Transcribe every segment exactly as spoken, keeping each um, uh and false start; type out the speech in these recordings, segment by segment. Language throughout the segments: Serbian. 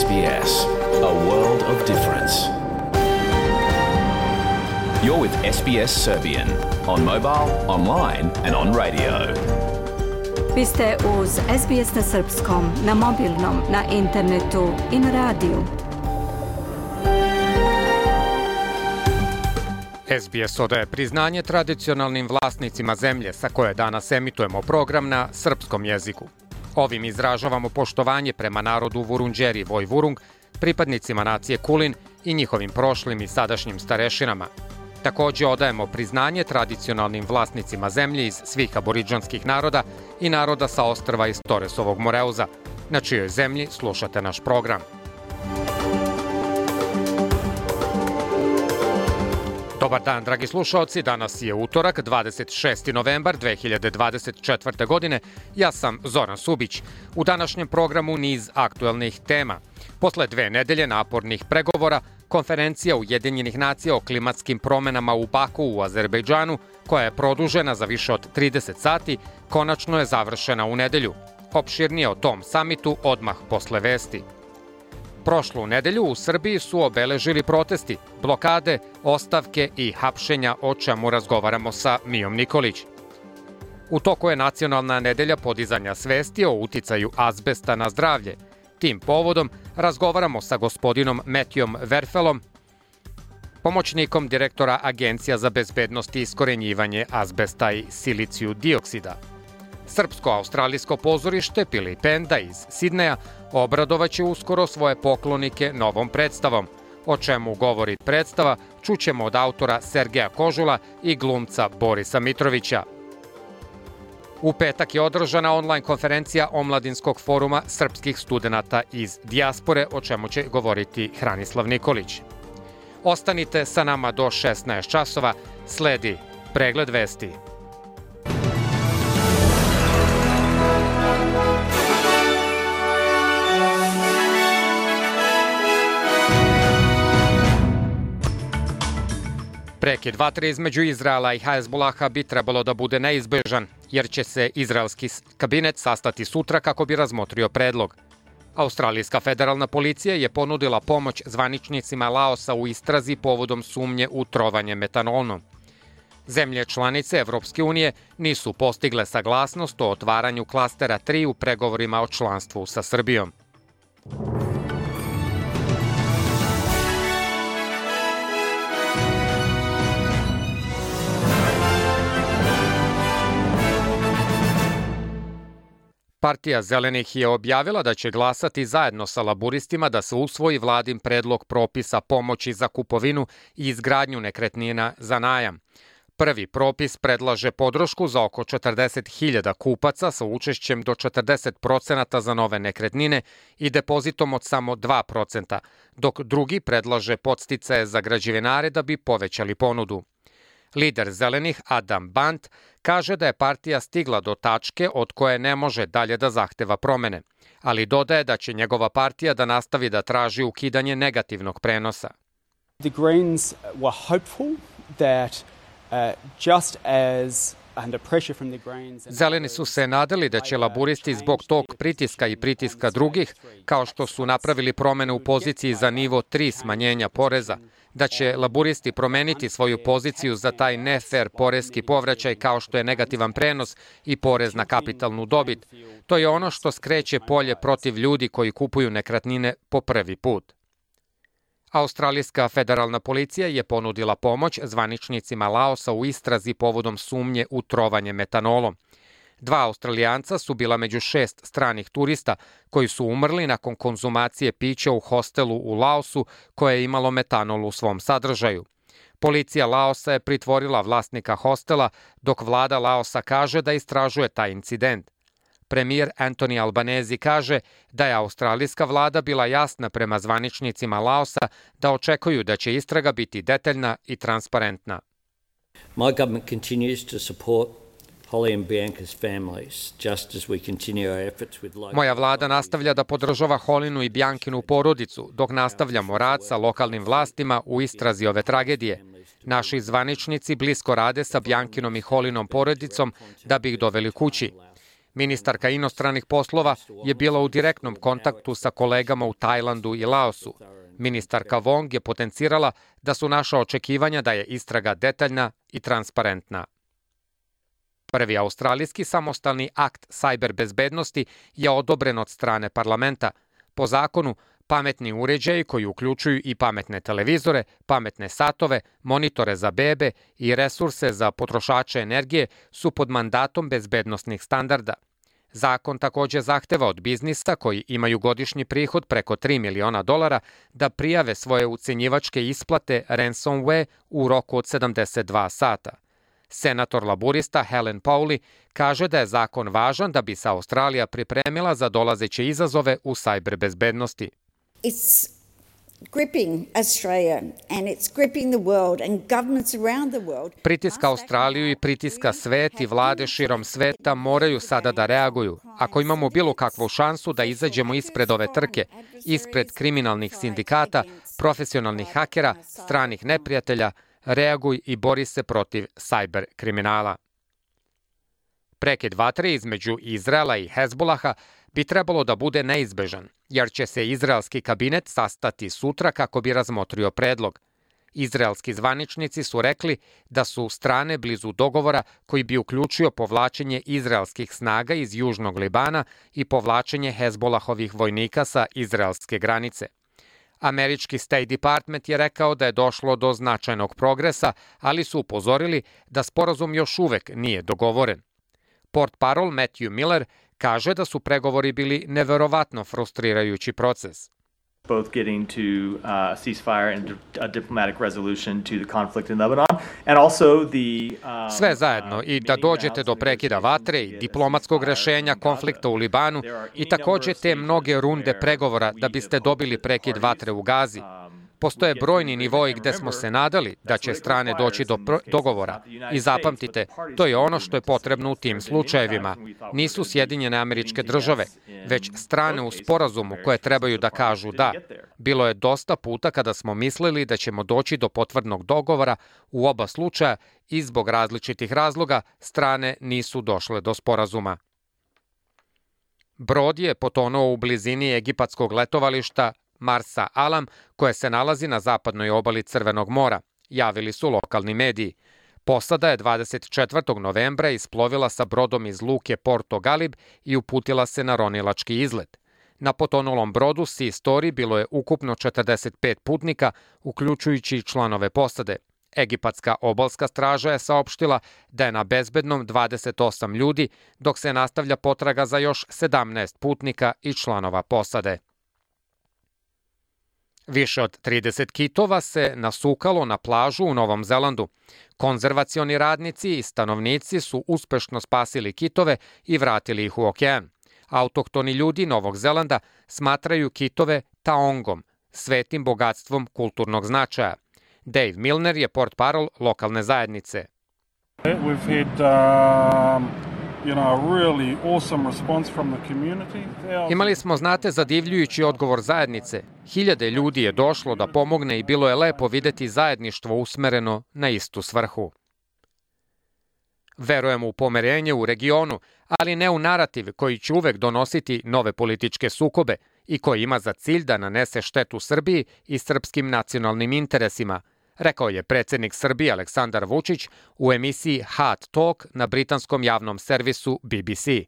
S B S, a world of difference. You're with S B S Serbian on mobile, online and on radio. Vi ste uz S B S na srpskom, na mobilnom, na internetu i na radiju. S B S odaje priznanje tradicionalnim vlasnicima zemlje sa koje danas emitujemo program na srpskom jeziku. Ovim izražavamo poštovanje prema narodu Vurundjeri Vojvurung, pripadnicima nacije Kulin i njihovim prošlim i sadašnjim starešinama. Također odajemo priznanje tradicionalnim vlasnicima zemlje iz svih aboridžanskih naroda i naroda sa ostrva iz Toresovog Moreuza, na čijoj zemlji slušate naš program. Dobar dan, dragi slušaoci, danas je utorak, dvadeset šesti novembar dve hiljade dvadeset četvrte. godine. Ja sam Zoran Subić. U današnjem programu niz aktuelnih tema. Posle dve nedelje napornih pregovora, konferencija Ujedinjenih nacija o klimatskim promenama u Baku u Azerbejdžanu, koja je produžena za više od trideset sati, konačno je završena u nedelju. Opširnije o tom samitu odmah posle vesti. Prošlu nedelju u Srbiji su obeležili protesti, blokade, ostavke i hapšenja, o čemu razgovaramo sa Mijom Nikolić. U toku je nacionalna nedelja podizanja svesti o uticaju azbesta na zdravlje. Tim povodom razgovaramo sa gospodinom Matthewom Werfelom, pomoćnikom direktora Agencija za bezbednost i iskorenjivanje azbesta i siliciju dioksida. Srpsko-australijsko pozorište Pilipenda iz Sidneja obradovaće uskoro svoje poklonike novom predstavom. O čemu govori predstava, čućemo od autora Sergeja Kožula i glumca Borisa Mitrovića. U petak je održana online konferencija Omladinskog foruma srpskih studenata iz dijaspore, o čemu će govoriti Hranislav Nikolić. Ostanite sa nama do šesnaest časova, sledi pregled vesti. Prekid vatre između Izraela i Hezbolaha bi trebalo da bude neizbežan, jer će se izraelski kabinet sastati sutra kako bi razmotrio predlog. Australijska federalna policija je ponudila pomoć zvaničnicima Laosa u istrazi povodom sumnje u trovanje metanolom. Zemlje članice Evropske unije nisu postigle saglasnost o otvaranju klastera tri u pregovorima o članstvu sa Srbijom. Partija Zelenih je objavila da će glasati zajedno sa laburistima da se usvoji vladin predlog propisa pomoći za kupovinu i izgradnju nekretnina za najam. Prvi propis predlaže podršku za oko četrdeset hiljada kupaca sa učešćem do četrdeset procenata za nove nekretnine i depozitom od samo dva procenta, dok drugi predlaže podsticaje za građevinare da bi povećali ponudu. Lider Zelenih Adam Bant kaže da je partija stigla do tačke od koje ne može dalje da zahteva promene, ali dodaje da će njegova partija da nastavi da traži ukidanje negativnog prenosa. The Greens were hopeful that uh, just as under pressure from the Greens. Zeleni su se nadali da će laburisti zbog tog pritiska i pritiska drugih, kao što su napravili promene u poziciji za nivo tri smanjenja poreza, da će laburisti promeniti svoju poziciju za taj nefer poreski povraćaj kao što je negativan prenos i porez na kapitalnu dobit. To je ono što skreće polje protiv ljudi koji kupuju nekretnine po prvi put. Australijska federalna policija je ponudila pomoć zvaničnicima Laosa u istrazi povodom sumnje u trovanje metanolom. Dva Australijanca su bila među šest stranih turista koji su umrli nakon konzumacije pića u hostelu u Laosu koje je imalo metanol u svom sadržaju. Policija Laosa je pritvorila vlasnika hostela, dok vlada Laosa kaže da istražuje taj incident. Premijer Anthony Albanese kaže da je australijska vlada bila jasna prema zvaničnicima Laosa da očekuju da će istraga biti detaljna i transparentna. My government continues to support Holly and Bianca's families, just as we continue our efforts with local... Moja vlada nastavlja da podržava Holinu i Biankinu porodicu, dok nastavljamo rad sa lokalnim vlastima u istrazi ove tragedije. Naši zvaničnici blisko rade sa Biankinom i Holinom porodicom da bi ih doveli kući. Ministarka inostranih poslova je bila u direktnom kontaktu sa kolegama u Tajlandu i Laosu. Ministarka Wong je potencirala da su naša očekivanja da je istraga detaljna i transparentna. Prvi australijski samostalni akt sajber bezbednosti je odobren od strane parlamenta. Po zakonu, pametni uređaji koji uključuju i pametne televizore, pametne satove, monitore za bebe i resurse za potrošače energije su pod mandatom bezbednosnih standarda. Zakon takođe zahteva od biznisa koji imaju godišnji prihod preko tri miliona dolara da prijave svoje ucenjivačke isplate ransomware u roku od sedamdeset dva sata. Senator laburista Helen Powley kaže da je zakon važan da bi se Australija pripremila za dolazeće izazove u sajber bezbednosti. It's gripping Australia and it's gripping the world and governments around the world. Pritiska Australiju i pritiska svet i vlade širom sveta moraju sada da reaguju. Ako imamo bilo kakvu šansu da izađemo ispred ove trke, ispred kriminalnih sindikata, profesionalnih hakera, stranih neprijatelja, reaguj i bori se protiv sajber kriminala. Prekid vatre između Izraela i Hezbolaha bi trebalo da bude neizbežan, jer će se izraelski kabinet sastati sutra kako bi razmotrio predlog. Izraelski zvaničnici su rekli da su strane blizu dogovora koji bi uključio povlačenje izraelskih snaga iz južnog Libana i povlačenje Hezbolahovih vojnika sa izraelske granice. Američki State Department je rekao da je došlo do značajnog progresa, ali su upozorili da sporazum još uvek nije dogovoren. Portparol Matthew Miller kaže da su pregovori bili neverovatno frustrirajući proces. Both getting to uh, a ceasefire and a diplomatic resolution to the conflict in Lebanon, and also the um, sve zajedno i da dođete do prekida vatre i diplomatskog rešenja konflikta u Libanu i takođe te mnoge runde pregovora da biste dobili prekid vatre u Gazi. Postoje brojni nivoi gde smo se nadali da će strane doći do dogovora. I zapamtite, to je ono što je potrebno u tim slučajevima. Nisu Sjedinjene Američke Države, već strane u sporazumu koje trebaju da kažu da. Bilo je dosta puta kada smo mislili da ćemo doći do potvrdnog dogovora u oba slučaja i zbog različitih razloga strane nisu došle do sporazuma. Brod je potonuo u blizini egipatskog letovališta Marsa Alam, koje se nalazi na zapadnoj obali Crvenog mora, javili su lokalni mediji. Posada je dvadeset četvrtog novembra isplovila sa brodom iz luke Porto Galib i uputila se na ronilački izlet. Na potonulom brodu Sea Story bilo je ukupno četrdeset pet putnika, uključujući članove posade. Egipatska obalska straža je saopštila da je na bezbednom dvadeset osam ljudi, dok se nastavlja potraga za još sedamnaest putnika i članova posade. Više od trideset kitova se nasukalo na plažu u Novom Zelandu. Konzervacioni radnici i stanovnici su uspešno spasili kitove i vratili ih u okean. Autohtoni ljudi Novog Zelanda smatraju kitove taongom, svetim bogatstvom kulturnog značaja. Dave Milner je portparol lokalne zajednice. We've had um... You know, a really awesome response from the community. Imali smo, znate, zadivljujući odgovor zajednice. Hiljade ljudi je došlo da pomogne i bilo je lepo videti zajedništvo usmereno na istu svrhu. Verujemo u pomirenje u regionu, ali ne u narativ koji će uvek donositi nove političke sukobe i koji ima za cilj da nanese štetu Srbiji i srpskim nacionalnim interesima, rekao je predsjednik Srbije Aleksandar Vučić u emisiji Hot Talk na britanskom javnom servisu B B C.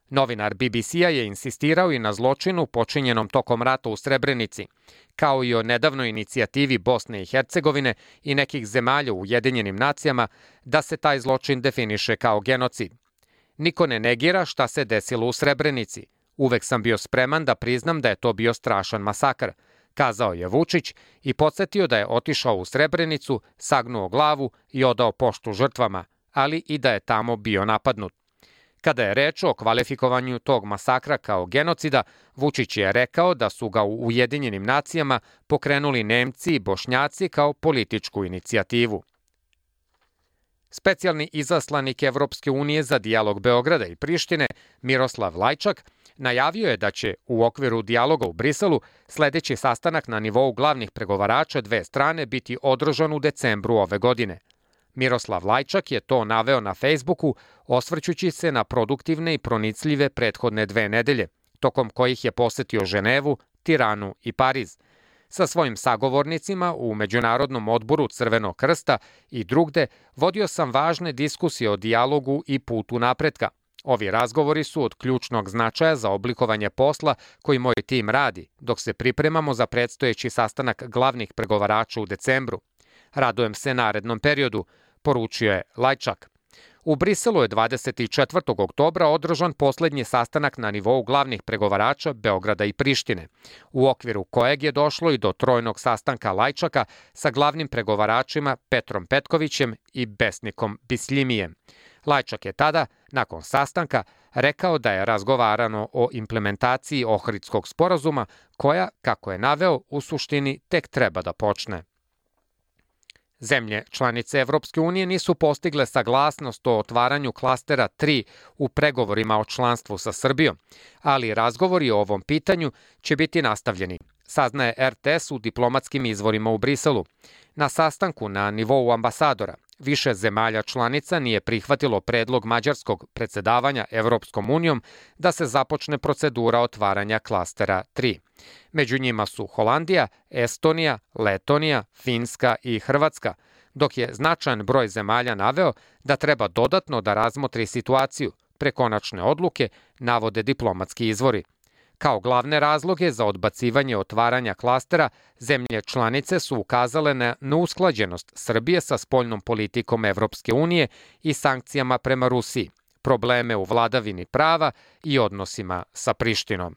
Novinar B B C-a je insistirao i na zločinu počinjenom tokom rata u Srebrenici, kao i o nedavnoj inicijativi Bosne i Hercegovine i nekih zemalja u Ujedinjenim nacijama da se taj zločin definiše kao genocid. Niko ne negira šta se desilo u Srebrenici. Uvek sam bio spreman da priznam da je to bio strašan masakr, kazao je Vučić i podsjetio da je otišao u Srebrenicu, sagnuo glavu i odao poštu žrtvama, ali i da je tamo bio napadnut. Kada je reč o kvalifikovanju tog masakra kao genocida, Vučić je rekao da su ga u Ujedinjenim nacijama pokrenuli Nemci i Bošnjaci kao političku inicijativu. Specijalni izaslanik Evropske unije za dijalog Beograda i Prištine, Miroslav Lajčak, najavio je da će u okviru dijaloga u Briselu sledeći sastanak na nivou glavnih pregovarača dve strane biti održan u decembru ove godine. Miroslav Lajčak je to naveo na Facebooku, osvrćući se na produktivne i pronicljive prethodne dve nedelje, tokom kojih je posetio Ženevu, Tiranu i Pariz. Sa svojim sagovornicima u Međunarodnom odboru Crvenog krsta i drugde vodio sam važne diskusije o dijalogu i putu napretka. Ovi razgovori su od ključnog značaja za oblikovanje posla koji moj tim radi, dok se pripremamo za predstojeći sastanak glavnih pregovarača u decembru. Radujem se narednom periodu, poručio je Lajčak. U Briselu je dvadeset četvrtog oktobra održan poslednji sastanak na nivou glavnih pregovarača Beograda i Prištine, u okviru kojeg je došlo i do trojnog sastanka Lajčaka sa glavnim pregovaračima Petrom Petkovićem i Besnikom Bislimijem. Lajčak je tada, nakon sastanka, rekao da je razgovarano o implementaciji Ohridskog sporazuma, koja, kako je naveo, u suštini tek treba da počne. Zemlje članice Evropske unije nisu postigle saglasnost o otvaranju klastera tri u pregovorima o članstvu sa Srbijom, ali razgovori o ovom pitanju će biti nastavljeni, saznaje er te es u diplomatskim izvorima u Briselu. Na sastanku na nivou ambasadora više zemalja članica nije prihvatilo predlog mađarskog predsedavanja Evropskom unijom da se započne procedura otvaranja klastera tri. Među njima su Holandija, Estonija, Letonija, Finska i Hrvatska, dok je značajan broj zemalja naveo da treba dodatno da razmotri situaciju, pre konačne odluke navode diplomatski izvori. Kao glavne razloge za odbacivanje otvaranja klastera, zemlje članice su ukazale na neusklađenost Srbije sa spoljnom politikom Evropske unije i sankcijama prema Rusiji, probleme u vladavini prava i odnosima sa Prištinom.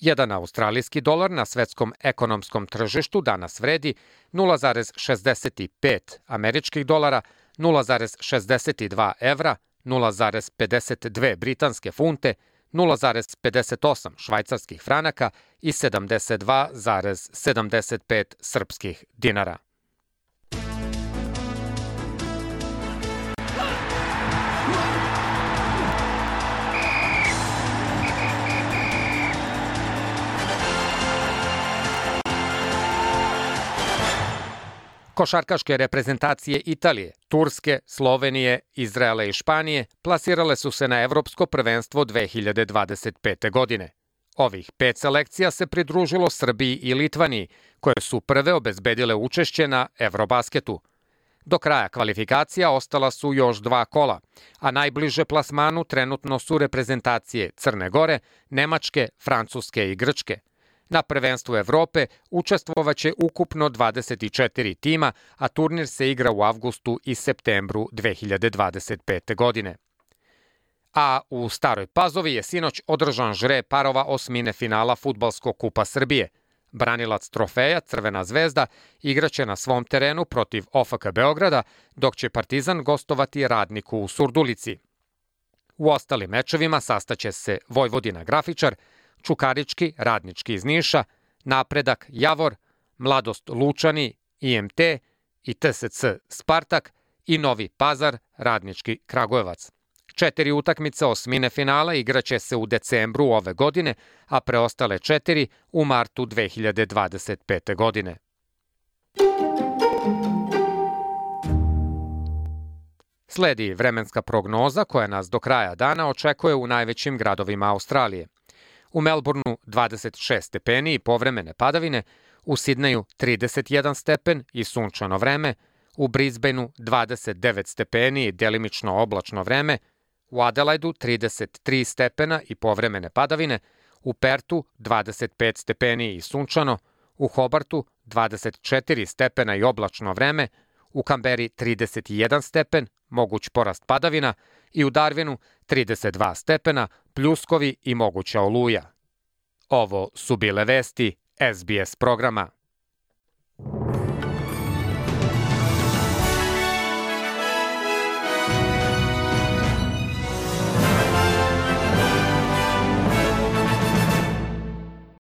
Jedan australijski dolar na svetskom ekonomskom tržištu danas vredi nula zarez šezdeset pet američkih dolara, nula zarez šezdeset dva evra, nula zarez pedeset dve britanske funte, nula zarez pedeset osam švajcarskih franaka i sedamdeset dva zarez sedamdeset pet srpskih dinara. Košarkaške reprezentacije Italije, Turske, Slovenije, Izraela i Španije plasirale su se na Evropsko prvenstvo dve hiljade dvadeset pete. godine. Ovih pet selekcija se pridružilo Srbiji i Litvaniji, koje su prve obezbedile učešće na Eurobasketu. Do kraja kvalifikacija ostala su još dva kola, a najbliže plasmanu trenutno su reprezentacije Crne Gore, Nemačke, Francuske i Grčke. Na prvenstvu Evrope učestvovaće ukupno dvadeset četiri tima, a turnir se igra u avgustu i septembru dve hiljade dvadeset pete. godine. A u Staroj Pazovi je sinoć održan žreb parova osmine finala Fudbalskog kupa Srbije. Branilac trofeja Crvena zvezda igraće na svom terenu protiv o fe ka Beograda, dok će Partizan gostovati Radniku u Surdulici. U ostalim mečevima sastaće se Vojvodina Grafičar, Čukarički, Radnički iz Niša, Napredak Javor, Mladost Lučani, i em te i te se ce Spartak i Novi Pazar, Radnički Kragujevac. Četiri utakmice osmine finala igraće se u decembru ove godine, a preostale četiri u martu dve hiljade dvadeset pete. godine. Sledi vremenska prognoza koja nas do kraja dana očekuje u najvećim gradovima Australije. U Melbourneu dvadeset šest stepeni i povremene padavine, u Sidneju trideset jedan stepen i sunčano vreme, u Brisbaneu dvadeset devet stepeni i delimično oblačno vreme, u Adelaidu trideset tri stepena i povremene padavine, u Pertu dvadeset pet stepeni i sunčano, u Hobartu dvadeset četiri stepena i oblačno vreme, u Kamberi trideset jedan stepen, moguć porast padavina i u Darwinu trideset dva stepena, pljuskovi i moguća oluja. Ovo su bile vesti es be es programa.